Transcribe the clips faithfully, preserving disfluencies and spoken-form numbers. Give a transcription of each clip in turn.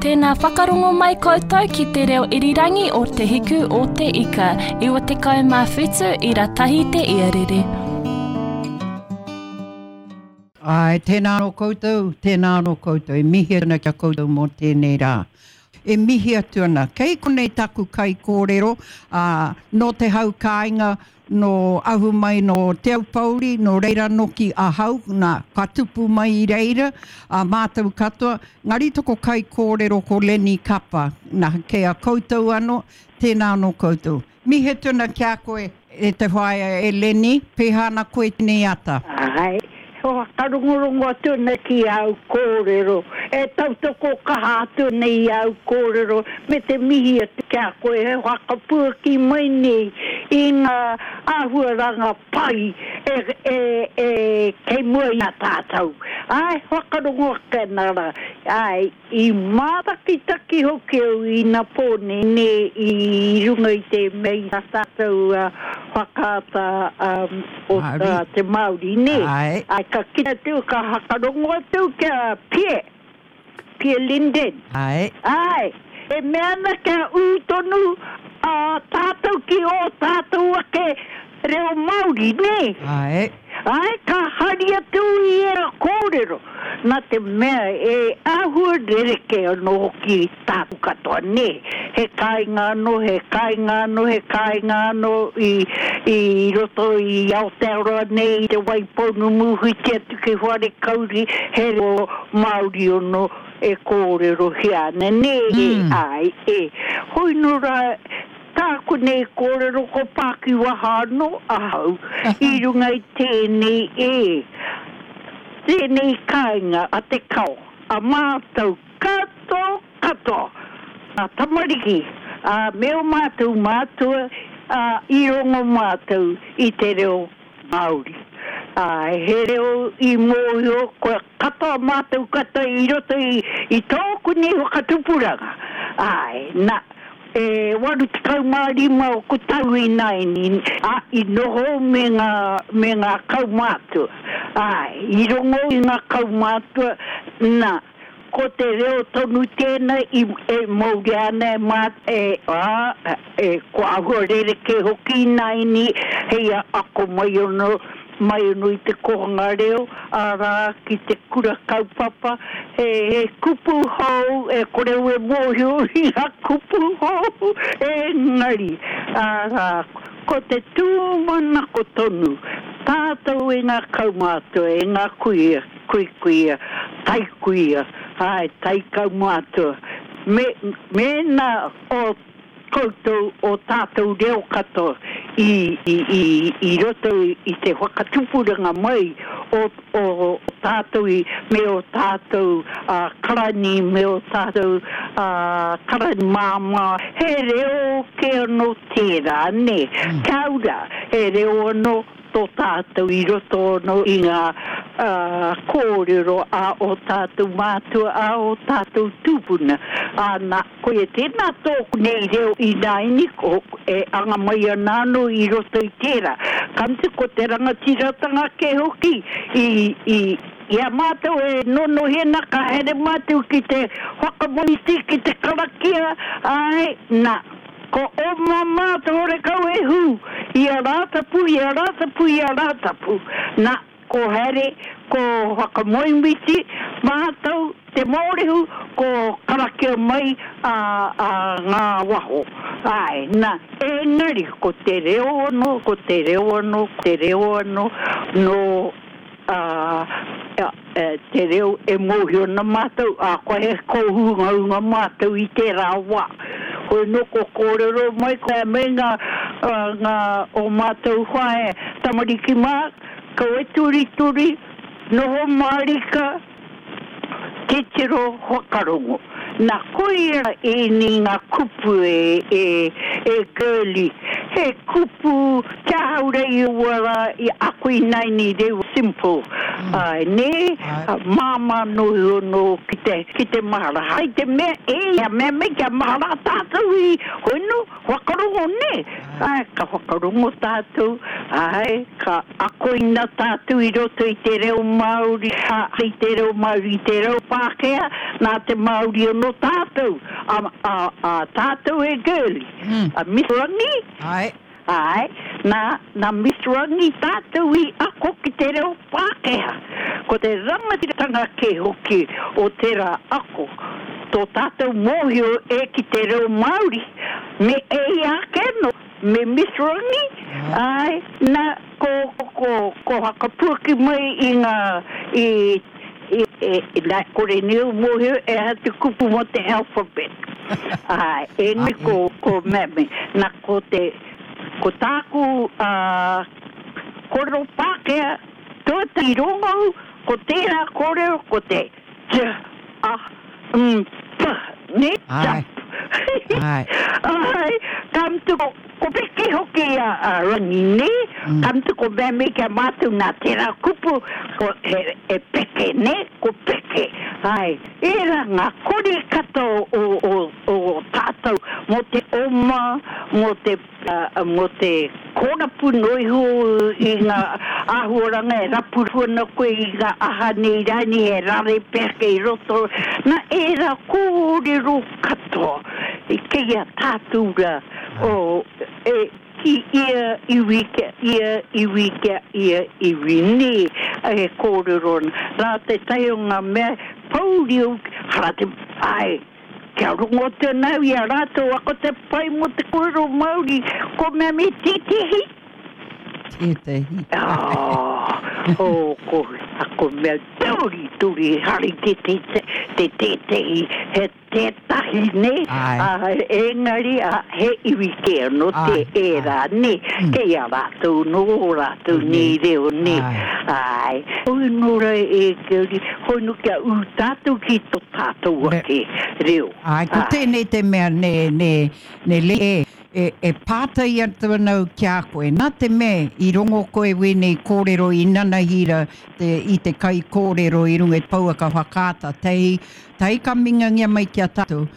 Tēnā whakarongo mai koutou ki te reo irirangi o Te Hiku o Te Ika, iwa tekau mā whitu ira tahi te iarere. Ai, tēnā anō koutou, tēnā anō koutou, e mihi ana ki a koutou mō tēnei rā. E mihi atu ana, kei konei taku kaikōrero, ā, nō te hau kāinga, nō ahu mai nō Te Aupōuri, nō reira noki ahau, nā, ka tupu mai i reira, ā mātou katoa, ngari toko kaikōrero ko Lenny Kapa, nā, kei a koutou anō, tēnā anō koutou. Mihi atu ana ki a koe e te whaea e Lenny, pēhea ana koe tēnei ata? Āe, whakarongorongo atu ana ki āu kōrero, e tautoko kaha atu ana i āu kōrero me te mihi atu ki a koe e whakapuaki mai nei i ngā āhuaranga pai e, e, e, kei mua i a tātou. Āe, whakarongo ake ana rā. Āe, i mātakitaki hoki au inapō nei, nē, i runga i te mea i tā tātou whakaata o te Māori, nē. Āe, ka kite atu, ka whakarongo atu ki a Pie, Pie Linden. Āe. Āe, e mea ana kia ū tonu ā tātou ki ō tātou ake reo Māori, nē? Āe. Āe, ka hari atu i ērā kōrero, nā te mea e āhua rerekē anō hoki tāku katoa, nē? He kāinga anō, he kāinga anō, he kāinga anō i, i roto i Aotearoa nei, i Te Waipounamu, whiti atu ki Wharekauri, he reo Māori anō e kōrerohia ana, nē? Āe, e. Hoi nō rā, Tāku nei kōrero ko Pākiwaha anō ahau i runga i tēnei e, tēnei kāinga a Te Kao, a mātou katoa katoa, ngā tamariki, ā, me ō mātou mātua, ā, i rongo mātou i te reo Māori. Ā, he reo i mōhio kua katoa mātou katoa i roto i, i tōku nei whakatupuranga. Āe, nā, E waru tekau mā rima oku tau ināianei, ā, i noho me ngā, me ngā kaumātua. Āe, i rongo i ngā kaumātua, nā, ko te reo tonu tēnā i, e mauria ana e mā, e, ā, e, kua āhua rerekē hoki ināianei hei a ako mai anō, mai anō i te kōhanga reo, arā, ki te kura kaupapa, he, he kupu hou, e kore au e mōhio i ngā kupu hou, engari, arā, ko te tūmanako tonu, tātou e ngā kaumātua, e ngā kuia, kuikuia, taikuia, āe, taikaumātua, me, mēnā o koutou o tātou reo katoa i, i, i, i roto i te whakatupuranga mai o, o, o tātou i, me o tātou uh, karani, me o tātou uh, karani māmā. He reo kē anō tērā, nē? Mm. Kia ora, he reo anō tō tātou i roto anō i ngā kōrero a ō tātou mātua, a ō tātou tūpuna. Ā, nā, koia tēnā tōku nei reo ināianei, ko, e anga mai ana anō i roto i tērā. Ka mutu, ko te rangatiratanga kē hoki i, i, i a mātou e nonohi ana, ka haere mātou ki te whakamōhiti, ki te karakia, āe, nā. Ko oma mātou horekau e hū, i a Rātapu, i a Rātapu, i a Rātapu. Na, ko haere, ko whakamoemiti mātou te Mōrehu, ko karakia mai a, a ngā waho. Āe, na, engari ko te reo anō, ko te reo anō, ko te reo anō, nō ā, te reo e mōhio ana mātou, ā, kua he kōhungahunga mātou i tērā wā. Hoi nō kua kōrero mai koe me ngā, ngā, ō mātou whaea tamariki mā, kaua e turituri, noho mārika, titiro whakarongo. Na koia ēnei ngā kupu e, e, e girlie. He kupu kia ahau rei aua rā i ako ināianei they were simple. Mm. Ai, nē, Ai. māmā no iho no ki te, ki te mahara. Hai te mea, e, ia mea me kia mahara tātou i, hoi no, whakarongo nē. Ai, ka whakarongo tātou, ai, ka akoina tātou i roto i te reo Māori, a, i te reo Māori, i te reo Pākehā, nā te Māori anō tātou, a, a, a tātou e girlie. Mm. A Miss Rangi, Ai. ai, nā, nā Miss Rangi tātou i ako ki te reo Pākehā. Ko te rangatiratanga ke hoki o tērā ako. Tō tātou mōhio e ki te reo Māori, me e ia ake no, me Miss Rangi, ai, nā, ko, ko, ko, ko hakapuaki mai i ngā, i, i, e, i, nā, kore ni au mōhio e ha te kupu mō te alphabet. Ai, e ni ko, ko meme, nā ko te, ko tāku uh, kōrero Pākehā, tuatahi rongou, ko tērā kōrero, ko te J, A, M, P, ne? Ai. Jump. Ai. Ai, ka mutu ko, ko peke hoki a, a Rangi, ne? Mm. Ka mutu ko meme kia mātou nā tērā kupu, ko he, e peke, ne? Ko peke. Ai, ērā ngā kori katoa o, o, o, o tātou mō te oma, mō te, uh, mō te kōrapu no iho i ngā āhuaranga e rapu ana koe i ngā aha nei rani e rare peke i roto. Nā ērā kōrero katoa i kei a tātou rā o, e, ki ia iwi kia ia iwi kia ia iwi nē e kōrero ana. Nā te tai o ngā mea pauri au, hara te, ai, kia rongo te nau i a rātou ako te pai mō te kōrero Māori, ko mea me tētehi. Tētehi. Oh, oh, ko, ako mea turi, turi, hari te te te te tētehi, he tētahi, ne? Ai. Ah, engari, ah, he iwi kē anō te Ai, ai. ērā, ne? Mm. Kei a rātou nō rātou nei reo, ne? Ai. Ai. Hoi nō rā e Keuri, hoi nō kia ū tātou ki tō tātou Ne. ake reo. Ai, ko Ai. tēnei te mea ne, ne, ne le e, e, e pātai atu anau ki a koe. Nā te mea i rongo koe wēnei kōrero i nanahira te, i te kai kōrero i runga i te pouaka whakaata. Tei, tei ka mingangia mai ki a tātou.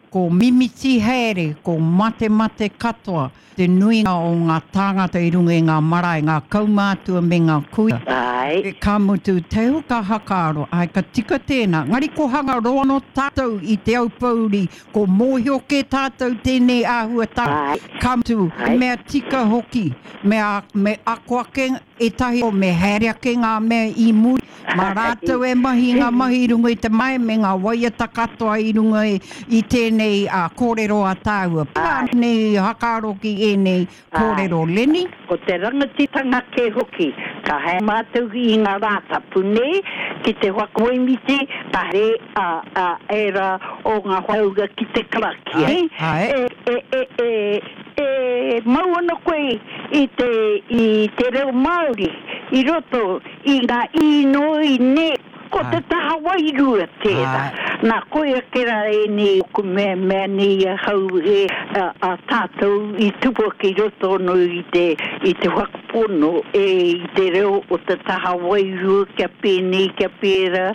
Ko mimiti haere, ko mate mate katoa, te nuinga o ngā tāngata i runga i ngā marae, ngā kaumātua me ngā kuia. Ai. E ka mutu te huka hakaaro, ai ka tika tēnā. Ngari ko hanga roa no tātou i te aupouri, ko mōhio ke tātou tēnei āhuatanga. Ai. Ka mutu, Ai. mea tika hoki, mea, me ako ake ētahi o me haere ake ngā mea i muri. Mā rātou e mahi ngā mahi i runga i te mai, me ngā waiata katoa i runga i, i tēnei uh, kōrero a tāua. Pā nei hakaaro ki ēnei kōrero, Leni? Ko te rangatitanga ke hoki, ka hae mātou i ngā rātapu nei, ki te whakamoemiti, ka re a, a era o ngā whauga ki te karakia. Ai, eh? ai. E, e, e, e, e mau ana koe i te, i te reo Māori, i roto i ngā inoi ne, ko te Ai. taha wairua tērā. Ai. Nā, koia ke rā e nei, ko mea mea nei a hau e a, a tātou i tupu ki roto no i te, i te whakapono e i te reo o te taha wairua kia pēnei, kia pērā,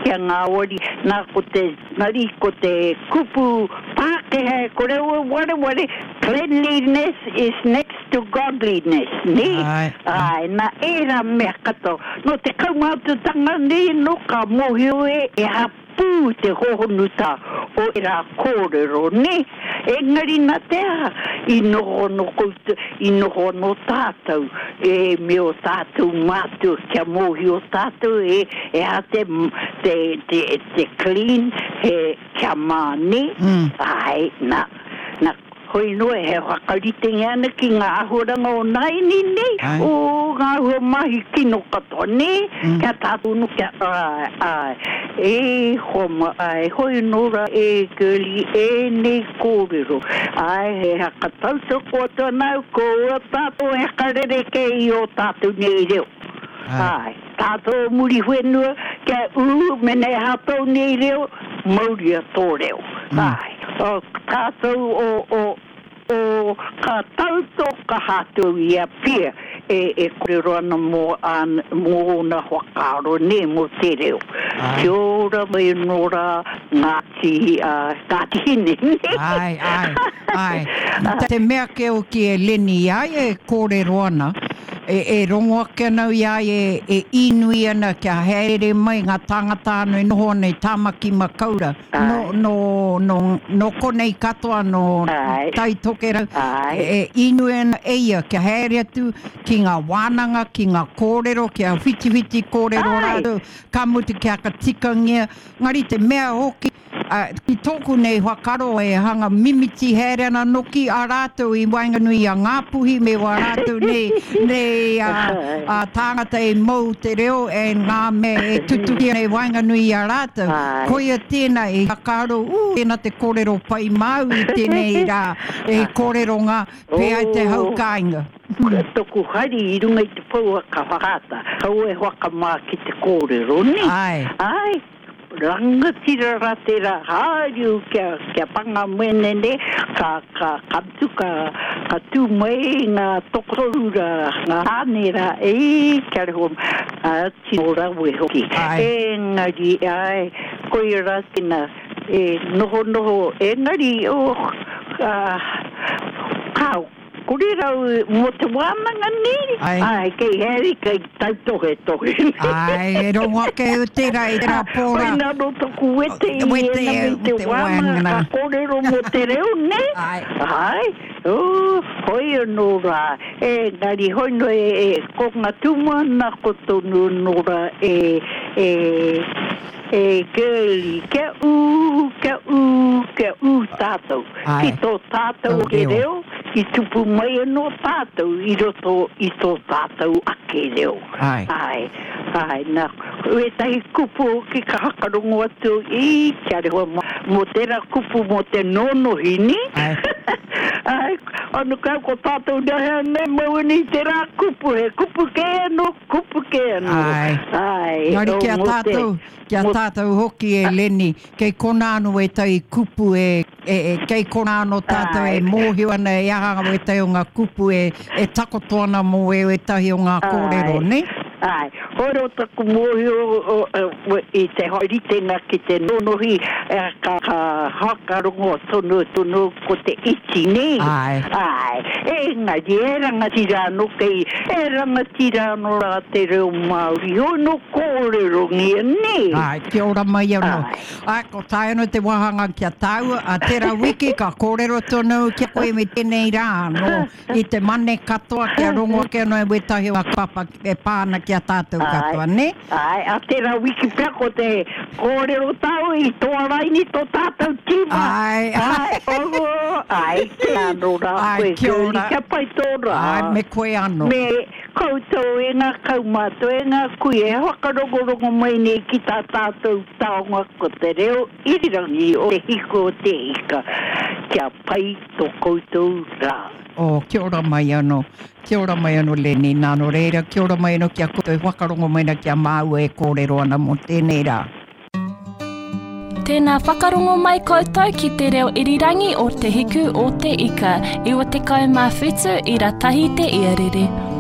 kia ngāwari. Nā, ko te, ngari, ko te kupu Pākehā, ko reo e wareware, cleanliness is next to godliness, ne? Ai, ai. Ai, nā ērā mea katoa. No te kaumātuatanga nei, no ka mōhio e, e hapū te hohonuta o ērā kōrero, ne? Engari nā te aha, i noho no koutou, i noho no tātou, e me o tātou mātua kia mōhio tātou, e, e ha te, te, te, te clean, he kia mā, ne? Mm. Ai, nā, nā, hoi noa he whakaritenga ana ki ngā āhuaranga o naini nei, Ai. o ngā āhua mahi kino katoa, nē, Mm. kia tātou no kia, ai, ai, e homa, ai, hoi nora e girlie, e nei kōrero, ai, he haka tautoko atu anau, ko ua tātou he karereke i o tātou nei reo. Ai. Ai, tātou muri whenua, kia ū, mene hātou nei reo, mauria tō reo. Mm. Ai, o tātou o, o, o ka tauto ka hātou i a pia, e, e kōrero ana mō, an, mō ōna whakaaro, nē, mō te reo. Ai. Kia ora mai anō rā Ngāti, uh, Ngāti Hine. Ai, ai, ai. Te mea ke hoki e Leni i a ia e kōrero ana, e, e rongo ake ana i a ia e, e inui ana kia haere mai ngā tāngata anō e noho ana i Tāmaki Makaurau. No, Ai. no, no, no konei katoa, no Ai. Tai Tokerau. Ai. E, e inui ana e ia kia haere atu ki ngā wānanga, ki ngā kōrero, kia whitiwhiti kōrero Ai. rātou, ka mutu kia whakatikangia. Ngari te mea hoki, uh, ki tōku nei whakaaro e hanga mimiti haere ana noki a rātou i waenganui i a Ngāpuhi me wā rātou nei, nei a, a tāngata e mau te reo e ngā mea e tutuki ana i waenganui i a rātou. Ai. Koia tēnā e whakaaro, ū, tēnā te kōrero pai māu i tēnei rā, e kōrero ngā pea i te hau Oh. kāinga. Toku hari i runga i te pouaka whakaata, kaua e whakamā ki te kōrero, nē? Ai. Ai, rangatira rā tērā haere kia, kia panga menene, ka, ka, ka mutu, ka, ka tū mai ngā tokotoru rā, ngā tāne rā, e, kia reho, a, tino rawe hoki. Ai. Engari, ai, koia rā tēnā, e, noho noho, engari, oh, ah, kāo, kore rau mō te wānanga nē? Ai. Ai, kei haere, kei tautohe tohe. Ai, e rongo ake au tērā i tērā pōra. Koina no toku wete i Wete ena me e te te wānanga, wānanga. ka kōrero mō te reo, nē? Ai. Ai, oh, hoi anō rā, engari hoi no e, e, ko ngā tūmanako tonu anō rā e, e, e girlie, kia ū, kia ū, kia ū tātou. Ai. Ki tō tātou Tō ake reo. reo, i tupu mai anō tātou i roto i tō tātou ake reo. Ai. Ai, ai, nā, wētahi kupu hoki ka hakarongo atu i, kia rewa mō, mō tērā kupu mō te nonohi, nē? Ai. Ai, anu kau ko tātou nehea nei mau ani i tērā kupu, he kupu kē anō, kupu kē anō. Ai. Ai, Ngari o, kia mō te- tātou, kia mō- tātou hoki e Leni, kei kona anō wētahi kupu e, e, e kei kona anō tātou e Ai. mōhio ana e aha wētahi o ngā kupu e, e takoto ana mō e wētahi o ngā kōrero, Ai. nē? Ai, hoi rō taku mōhio o, o, i te haeritenga ki te nonohi, e, ka, ka hakarongo tonu tonu ko te iti, nē? Ai. Ai, engari e rangatira anō kei, e rangatira anō rā te reo Māori, hoi no kōrerongia, nē? Ai, kia ora mai anō. Ai. Ai, ko tae anō te wāhanga kia tāua, a tērā wiki ka kōrero tonu kia koe me tēnei rā anō, i te mane katoa kia rongo ake anō e wētahi o ngā papa e pā ana kia tātou katoa, nē? Ai, a tērā wiki pea ko te kōrero tāu i tō raini tō tātou tīma. Ai. Ai, oho, ai, te anō rā Ai, koe, kia girlie, ora. kia pai tō rā. Ai, me koe anō. Me koutou e ngā kaumātua, e ngā kui, e whakarongorongo mai nei ki tā tātou taonga ko te reo irirangi o te hiko o te ika. Kia pai tō koutou rā. Oh, kia ora mai anō. Kia ora mai anō, Leni. Nā nō reira, kia ora mai anō kia koutou e whakarongo mai na kia māua e kōrero ana mō tēnei rā. Tēnā whakarongo mai koutou ki te reo irirangi o Te Hiku o Te Ika, iwa tekau mā whitu ira tahi te iarere.